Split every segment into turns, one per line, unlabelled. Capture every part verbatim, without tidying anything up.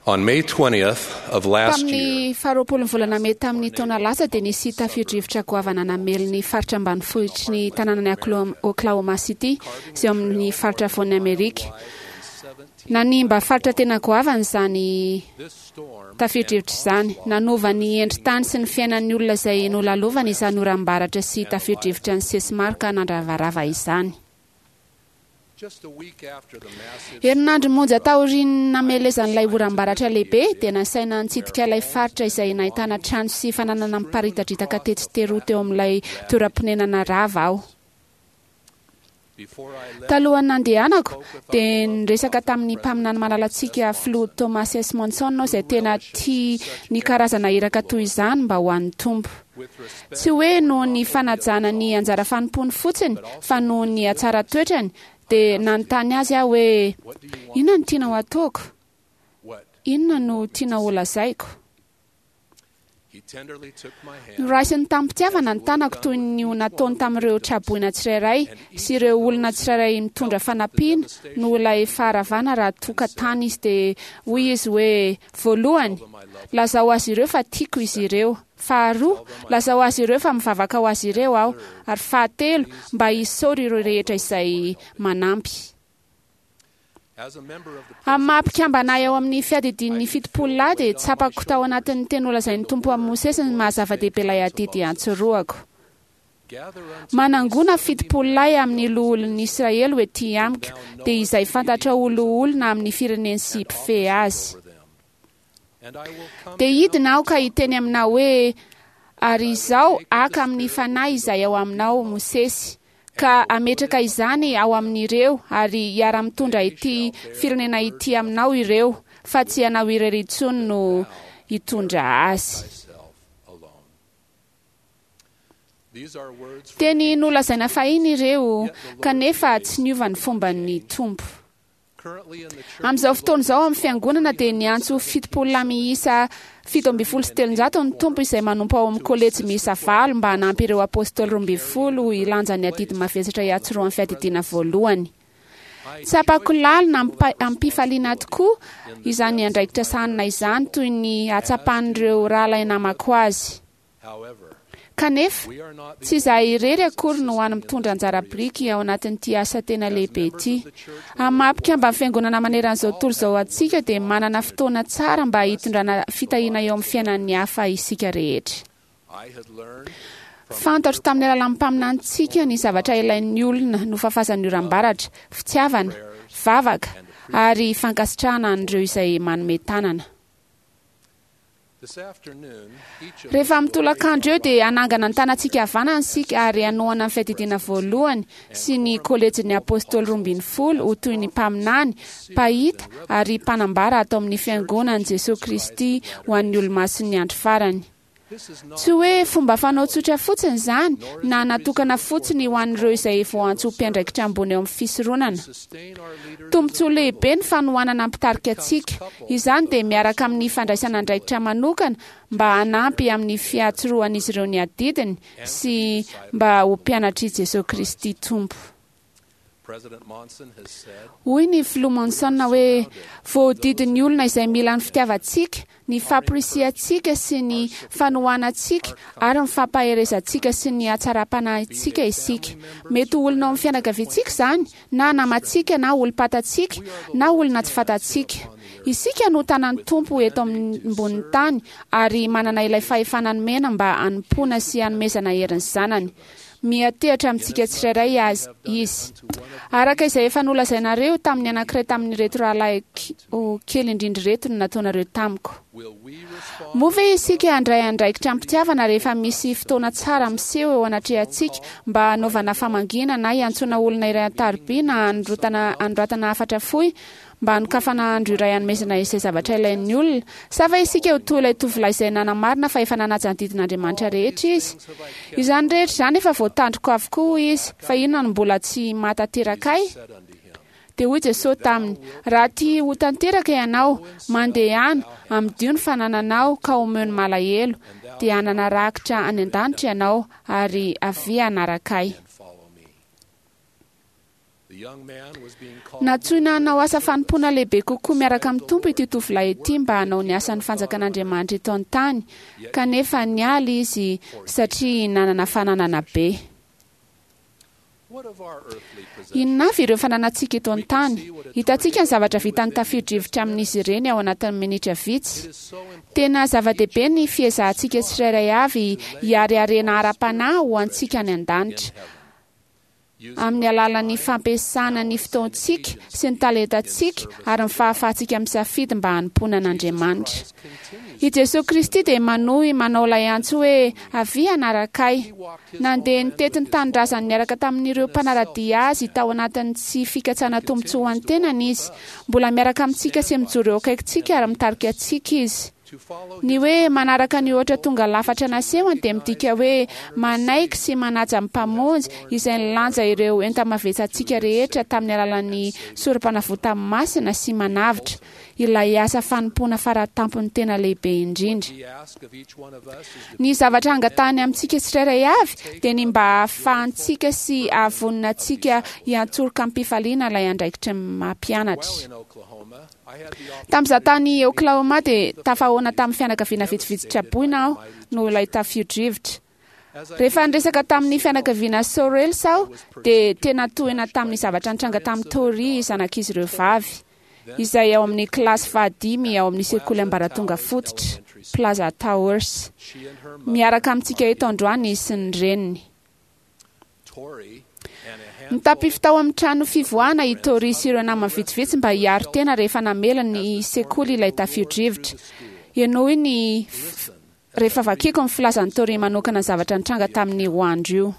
On May twentieth of last year,
Tamin'ny faharoapolon'ny volana mey tamin'ny taona lasa dia nisy tafio-drivotra goavana namely ny faritra ambanivohitry ny tanànan'i Oklahoma, Oklahoma City izay eo amin'ny faritra afovoan'i Amerika. Nanimba faritra tena goavana izany
this storm
tafio-drivotra izany. Nanova ny endri-tany sy ny fiainan'ny olona izay nolalovana izany oram-baratra sy tafio-drivotra nisesy maro ka nandravarava izany.
just a week after the massive
Herinandro monja taorian'ny namelezan'ilay oram-baratra lehibe dia nasaina nitsidika ilay faritra izay nahitana trano sy fananana miparitadritaka tetsy teroa teo amin'ilay toeram-ponenana rava aho.
before I left,
Talohan'ny nandehanako dia niresaka tamin'ny mpaminany malalantsika filoha Thomas S. Monson aho izay tena tia ny karazana iraka toy izany mba ho an'ny Tompo.
with respect
Tsy hoe noho ny fanajana ny anjara fanompoany fotsiny fa noho ny hatsara toetrany dia nanontany azy aho hoe
what do you want
inona no tianao ataoko?
what
Inona no tianao holazaiko?
he tenderly took my hand
Noraisiny tamim-pitiavana ny tanako toy ny ho nataony tamin'ireo traboina tsirairay sy ireo olona tsirairay mitondra fanampiana noho ilay faharavana raha toka tany izy dia hoy izy hoe voalohany lazao azy ireo fa tiako izy ireo, faharoa lazao azy ireo fa mivavaka ho azy ireo aho, ary fahatelo mba hisaory ireo rehetra izay manampy.
as a member of the
Amin'ny maha mpikambana ahy ao amin'ny fiadidian'ny fitopolo lahy dia tsapako tao anatin'ny teny nolazain'ny Tompo amin'ny Mosesy ny maha zava-dehibe ilay adidy antsorohako.
gather unto
Manangona fitopolo lahy amin'ny loholon'ny Israely ho ety amiko, dia izay fantatra ho loholona amin'ny fireneny sy mpifehy azy.
over them and I will come
Dia hidina aho ka hiteny aminao hoe ary izao haka amin'ny fanahy izay ao aminao Mosesy ka hametraka izany ao amin'ireo ary hiara-mitondra ity firenena ity aminao ireo fa tsy ianao irery intsony no hitondra azy.
thyself alone. These are words from
Teny nolazaina fahiny ireo kanefa tsy niova ny fomban'ny Tompo.
currently in the church
Amin'izao fotoana izao amin'ny fiangonana dia niantso fitopolo lahy miisa fito ambin'ny folo sy telonjato ny Tompo izay manompo ao amin'ny kolejy miisa valo mba hanampy ireo apôstôly roa ambin'ny folo hilanja ny adidy mavesatra hiantsorohan'ny fiadidiana voalohany. Tsapako lalina ampa- am-pifaliana tokoa izany andraikitra sahanina izany toy ny hatsapan'ireo rahalahy namako azy.
however
Kanefa
we are not the
tsy izahay irery akory no hany mitondra anjara biriky ao anatin'ity asa tena lehibe ity. Amin'ny maha mpikambana fiangonana maneran'izao tontolo izao antsika dia manana fotoana tsara mba hitondrana fitahiana eo amin'ny fiainan'ny hafa isika rehetra.
I had learned
Fantatro tamin'ny alalan'ny mpaminanintsika ny zavatra ilain'ny olona nofafazan'ny oram-baratra, fitiavana, vavaka ary fankasitrahana an'ireo izay manome tanana.
this afternoon each of
Rehefa
us will
mitolakandro eo dia hanangana ny tanantsika havanana isika ary hanohana ny fiadidiana voalohany sy ny kolejin'ny apôstôly roa ambin'ny folo ho toy ny mpaminany, mpahita ary mpanambara ato amin'ny fiangonan'i Jesoa Kristy ho an'ny olomasin'ny andro farany.
this is not
Tsy hoe fomba fanao tsotra fotsiny izany na natokana fotsiny ho an'ireo izay voantso ho mpiandraikitra ambony eo amin'ny fisoronana.
sustain our leaders
Tombontsoa lehibe ny fanohanana mpitarika antsika. Izany dia miaraka amin'ny fandraisana andraikitra manokana mba hanampy amin'ny fiatsorohan'izy ireo ny adidiny sy mba ho mpianatr'i Jesoa Kristy Tompo.
President Monson has said
Hoy ny filoha Monson hoe voahodidin'ny olona izay mila ny fitiavantsika, ny fampirisihantsika sy ny fanohanantsika ary ny fampaherezantsika sy ny hatsaram-panahintsika isika. Mety ho olona ao amin'ny fianakaviantsika izany, na namantsika, na olom-pantatsika, na olona tsy fantatsika. Isika no tanan'ny Tompo eto ambonin'ny tany ary manana ilay fahefana nomena mba hanompoana sy hanomezana herin'ny zanany. Miantehitra amintsika tsirairay azy izy. Araka izay efa nolazainareo tamin'ny anankiray tamin'ireto rahalahy kely indrindra ireto no nataonareo tamiko.
will we respond
Moa ve isika handray andraikitra am-pitiavana rehefa misy fotoana tsara miseho eo anatrehantsika mba hanaovana famangiana na hiantsoana olona iray an-tariby na hanorotana hanoratana hafatra fohy mba hanokafana andro iray hanomezana izay zavatra ilain'ny olona? Sa va isika ho toy ilay tovolahy izay nanamarina fa efa nanaja ny didin'Andriamanitra rehetra izy? Izany rehetra izany efa voatandriko avokoa hoy izy, fa inona no mbola tsy mahatanteraka ahy?
said unto him
Dia hoy Jesosy taminy, raha tia ho tanteraka ianao, mandehana, amidio ny fanananao ka omeo ny malahelo, dia hanana rakitra any an-danitra ianao ary avia hanaraka ahy.
and follow me.
Nantsoina hanao asa fanompoana lehibe kokoa miaraka amin'ny Tompo ity tovolahy ity mba hanao ny asan'ny fanjakan'Andriamanitra eto an-tany, kanefa niala izy satria nanana fananana be. Inona avy ireo fananantsika eto an-tany? Hitantsika ny zavatra vitan'ny tafio-drivotra amin'izy ireny ao anatin'ny minitra vitsy. Tena zava-dehibe ny fiezahantsika tsirairay avy hiariarena ara-panahy ho antsika any an-danitra, amin'ny alalan'ny fampiasana ny fotoantsika sy ny talentantsika ary ny fahafahantsika misafidy mba hanompoana an'Andriamanitra. I Jesosy Kristy dia manohy manao ilay antso hoe avia hanaraka ahy. Nandeha nitety ny tanindrazany niaraka tamin'ireo mpanara-dia azy tao anatin'ny tsy fikatsana tombontsoa ho an'ny tenany izy. Mbola miaraka amintsika sy mijoro eo akaikintsika ary mitarika antsika izy. Ny hoe manaraka ny ohatra tonga lafatra nasehony dia midika hoe manaiky sy manaja ny Mpamonjy izay nilanja ireo enta-mavetsantsika rehetra tamin'ny alalan'ny sorom-panavotany masina sy manavotra, ilay asa fanompoana faratampony tena lehibe indrindra. Ny zavatra angatahany amintsika tsirairay avy dia ny mba hahafahantsika sy hahavonona antsika hiantsoroka am-pifaliana ilay andraikitry ny mampianatra. Tamin'izaho tany Oklahoma dia tafahoana tamin'ny fianakaviana vitsivitsy traboina aho noho ilay tafio-drivotra. Rehefa niresaka tamin'ny fianakaviana Sorrells aho dia tena tohina tamin'ny zavatra nitranga tamin'ny Tori zanak'izy ireo vavy, izay ao amin'ny kilasy fahadimy ao amin'ny sekoly ambaratonga fototra, Plaza Towers. Miaraka amintsika eto androany izy sy ny reniny. Nitapify tao amin'ny trano fivoahana i Tori sy ireo namany vitsivitsy mba hiaro tena rehefa namela ny sekoly ilay tafio-drivotra. Henoy ny rehefa vakiko ny filazan'i Tori manokana ny zavatra nitranga tamin'io andro io.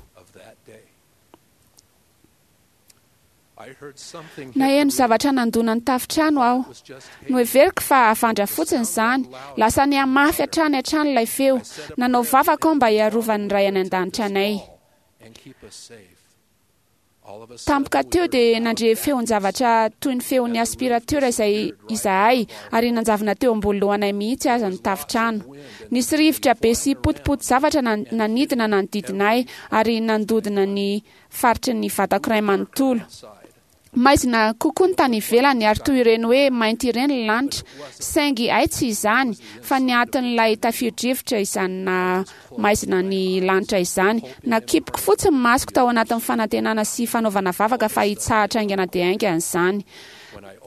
Naheno zavatra nandona ny tafitrano aho. Noheveriko fa havandra fotsiny izany. Lasa nihamafy hatrany hatrany ilay feo. Nanao vavaka aho mba hiarovan'ny Ray any an-danitra anay. Tampoka teo dia nandre feon-javatra toy ny feon'ny aspirateur izay izahay ary nanjavona teo ambony lohanay mihitsy aza ny tafitrano. Nisy rivotra be sy potipoty zavatra nanidina nanodidina ahy ary nandodina ny faritry ny vatako iray manontolo. Maizina kokoa ny tany ivelany ary toy ireny hoe mainty ireny ny lanitra, saingy ay tsy izany fa ny atin'ilay tafio-drivotra izany na maizina ny lanitra izany. Nakipiko fotsiny ny masoko tao anatin'ny fanantenana sy fanaovana vavaka fa hitsahatra haingana dia haingana izany.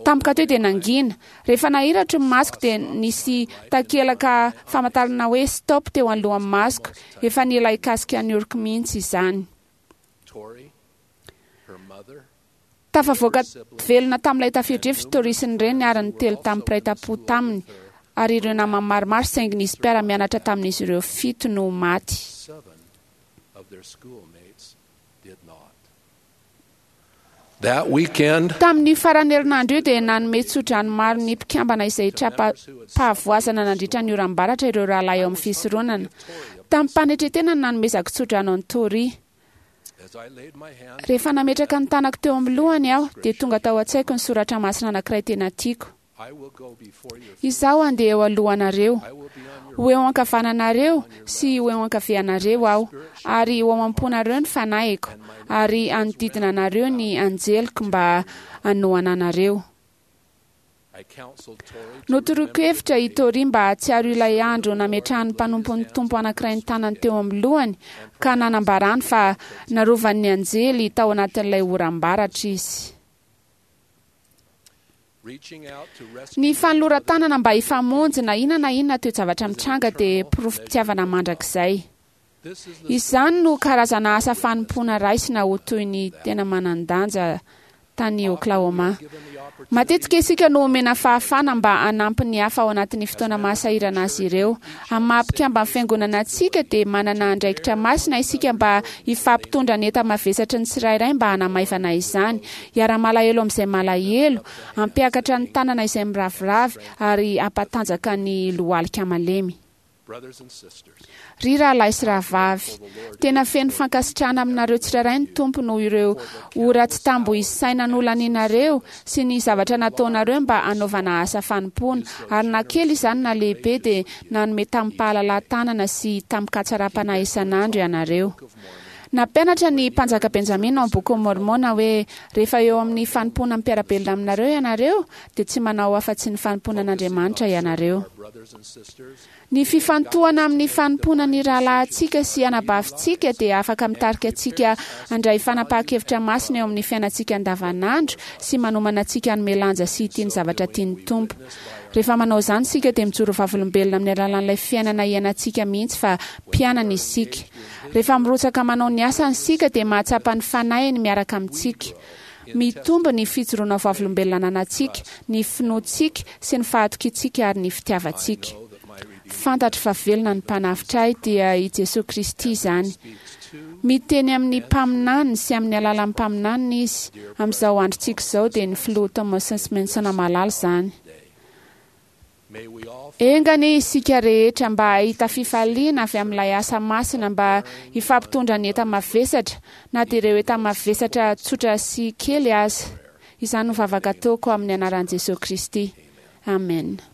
Tampoka teo dia nangina. Rehefa nahiratro ny masoko dia nisy takelaka famantarana hoe stop teo anoloan'ny masoko. Efa nila hikasika ny oroko mihitsy izany. Tafavoaka velona tamin'ilay tafio-drivotra Tori sy ny reniny ary ny telo tamin'ny mpiray tampo taminy ary ireo namany maromaro, saingy nisy mpiara-mianatra tamin'izy ireo fito no maty. Tamin'ny faran'ny herinandro io dia nanome tsodrano maro ny mpikambana izay tra-pahavoazana nandritra ny oram-baratra ireo rahalahy eo amin'ny fisoronana. Tamin'ny mpanetretena no nanomezako tsodrano an'i Tori. Rehefa nametraka ny tanako teo amin'ny lohany aho dia tonga tao an-tsaiko ny soratra masina anankiray tena tiako. Izaho handeha eo alohanareo, ho eo ankavananareo sy ho eo ankavianareo aho, ary ho ao am-ponareo ny fanahiko, ary hanodidina anareo ny anjeliko mba hanohana anareo. Notoroko hevitra i Tori mba hahatsiaro ilay andro nametrahan'ny mpanompon'ny Tompo anankiray ny tanany teo amin'ny lohany ka nanambarany fa narovan'ny anjely tao anatin'ilay oram-baratra izy. Ny fanoloran-tanana mba hifamonjy na inona na inona toe-javatra mitranga dia porofom-pitiavana mandrakizay. Izany no karazana asa fanompoana raisina ho toy ny tena manan-danja tany Oklahoma. Matetika isika no omena fahafahana mba hanampy ny hafa ao anatin'ny fotoana mahasahirana azy ireo. Amin'ny maha mpikambana fiangonana antsika dia manana andraikitra masina isika mba hifampitondra ny enta-mavesatry ny tsirairay mba hanamaivana izany, hiara-malahelo amin'izay malahelo, hampiakatra ny tanana izay miraviravy ary hampatanjaka ny lohalika malemy. Ry rahalahy sy rahavavy, tena feno fankasitrahana aminareo tsirairay ny Tompo noho ireo ora tsy tambo isaina nolaninareo sy ny zavatra nataonareo mba hanaovana asa fanompoana, ary na kely izany na lehibe dia nanome tamin'ny-pahalalahan-tanana sy tamin-katsaram-panahy isan'andro ianareo. Nampianatra ny mpanjaka Benjamina ao amin'ny Bokin'i Môrmôna hoe rehefa eo amin'ny fanompoana mpiara-belona aminareo ianareo dia tsy manao afa-tsy ny fanompoana an'Andriamanitra ianareo.
Our brothers and sisters
Ny fifantohana amin'ny fanompoana ny rahalahintsika sy anabavintsika dia afaka mitarika antsika handray fanapahan-kevitra masina eo amin'ny fiainantsika andavanandro sy manomana antsika hanome lanja sy hitia ny zavatra tian'ny Tompo. Rehefa manao izany isika dia mijoro vavolombelona amin'ny alalan'ilay fiainana iainantsika mihitsy fa mpianany isika. Rehefa mirotsaka manao ny asany isika dia mahatsapa ny fanahiny miaraka amintsika. Mitombo ny fijoroana vavolombelona ananantsika, ny finoantsika sy ny fahatokiantsika ary ny fitiavantsika.
know that my Redeemer
Fantatro fa velona ny mpanavotra ahy dia i Jesoa Kristy izany.
speaks to
Miteny amin'ny mpaminany sy amin'ny alalan'ny mpaminaniny izy. Amin'izao androntsika izao dia ny filoha Thomas Monson malala izany.
day. May we all
Enga anie isika rehetra mba hahita fifaliana avy amin'ilay asa masina mba hifampitondra ny enta-mavesatra na dia ireo enta-mavesatra tsotra sy kely aza. Izany no vavaka ataoko amin'ny anaran'i Jesoa Kristy. Amen.